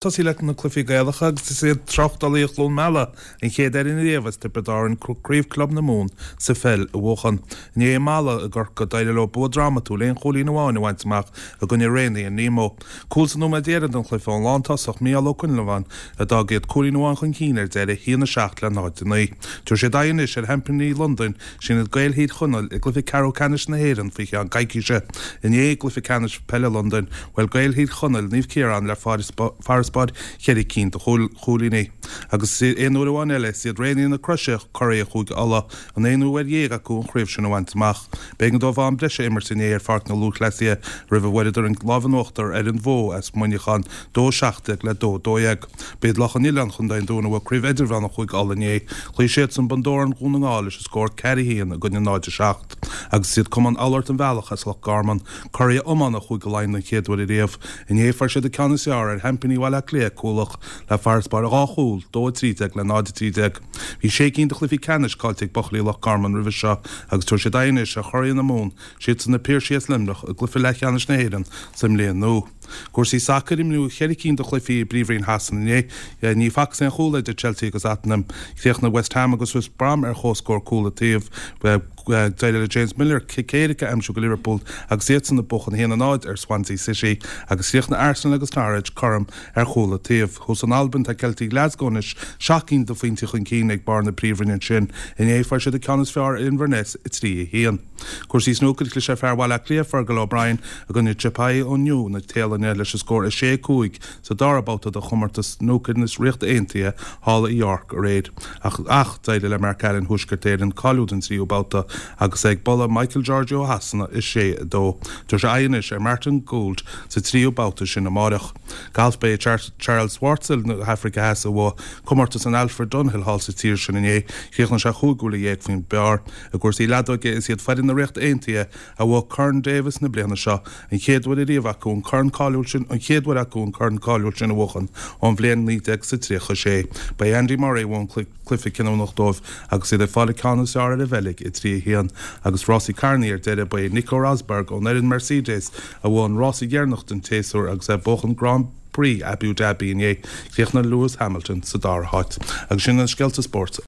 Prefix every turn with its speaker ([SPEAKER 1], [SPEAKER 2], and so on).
[SPEAKER 1] Tosaí leis na cluichí Gaelacha agus is iad Tráchtálaithe Chluain Meala an chéad fhoireann ariamh as Tiobraid Árann Craobh Club na Mumhan sa pheil a bhuachan. Inné i Mala i gCorcaigh d'éirigh leo bua drámatúil aon chúilín amháin a bhaint amach i gcoinne Raonaithe Nemo. Cúl sa nóiméad deireanach den chluiche ón lántosach Mícheál Ó Coinleabháin a d'fhág iad cúilín amháin chun cinn ar deireadh, 1-7 le 0-9. Tabharfaidh siad aghaidh anois ar sheaimpíní Londain, Sin iad Gaeil Thír Chonaill i gcluiche ceathrú ceannais na hÉireann faoi cheann coicíse. Inné i gcluiche ceannais peile Londain, bhuail Gaeil Thír Chonaill Naomh Ciarán le farasbarr cheithre cinn de chúilíní. Agus aon uair amháin eile, is iad Raonaithe na Croise curaidh Chúige Uladh, an aonú uair dhéag acu an chraobh sin a bhaint amach. B'éigean dóibh am breise a imirt inné ar Pháirc na Lúthchleasaithe roimh a bhfuaireadar an lámh in uachtar ar an Bhó as Muineachán, 2-17 le 2-12. B'iad Loch an Oileáin, Chontae an Dúin a bhuaigh Craobh Idirmheánach Chúige Uladh inné. Chloígh siadsan Bun Dobhráin Dhún na nGall leis an scór 4-1 i gcoinne 0-7. Agus is iad Cumann Oulart an Bhealach as Loch Garman, curaidh iomána Chúige Laighean den chéad uair ariamh. Inné fuair siad an ceann is fearr ar sheaimpíní Bhaile Átha Cliath, Cuallacht, le farasbarr 2 chúl, 2-13 le 0-13. Bhí sé cinn de chluichí ceannais caillte ag buachaillí Loch Garman roimhe seo agus tabharfaidh siad aghaidh anois ar churaidh na Mumhan, siadsan na Piarsaigh as Luimneach, i gcluiche leathcheannais na hÉireann sa mbliain nua. Cúrsaí sacair, Imríodh cheithre cinn de chluichí i bPríomhroinn Shasana inné. Ní facthas aon chúl idir Chelsea agus Tottenham. Chríochnaigh West Ham agus West Brom ar chomhscór cúl an taobh. D'éirigh le James Milner cic éirice a aimsiú do Liverpool agus iadsan ag buachan 1-0 ar Swansea City agus chríochnaigh Arsenal agus Norwich cothrom ar chúl an taobh. Thuas in Albain tá Ceiltigh Glasgow anois seacht gcinn de phointí chun cinn ag barr na Príomhroinne ansin. Inné fuair siad an ceann is fearr ar Inverness 3-1. Cúrsaí snúcair, Chlis ar fear Bhaile Átha Cliath, Fergal O'Brien, i gcoinne Chipai ó Nua na Téalainne leis an scór 6-5 sa dara babhta de chomórtas snúcair na Ríochta Aontaithe thall i York aréir. Ach ach d'éirigh le Mark Allen Thuaisceart Éireann cáiliú don tríú babhta agus é ag bualadh Michael Georgiou ó Shasana 6-2. Tabharfaidh sé aghaidh anois ar Martin Gould sa tríú babhta sin amáireach. Galf Ba é Charl Schwartzel na hAfraice Theas a bhuaigh comórtas an Alfred Dunhill thall sa tír sin inné. Chríochnaigh sé chúig bhuille dhéag faoin bpar. I gcúrsaí leadóige, is iad foireann na Ríochta Aontaithe a bhuaigh Corn Davis na bliana seo, an chéad uair ariamh acu an corn cáiliúil sin an chéad uair acu an corn cáiliúil sin a bhuachan ón bhliain 1936. Ba é Andy Murray a bhuaigh an cluiche cinniúnach dóibh agus iad ag fáil an ceann is fearr ar an Bheilg, 3-1. Agus rásaí carrannaí ar deireadh, ba é Nico Rosberg ón fhoireann Mercedes a bhuaigh an rása dheireanach den tséasúr agus é ag buachan Grand Prix Abu Dhabi inné. Chríochnaigh Lewis Hamilton sa dara háit. Agus sin na scéalta spóirt.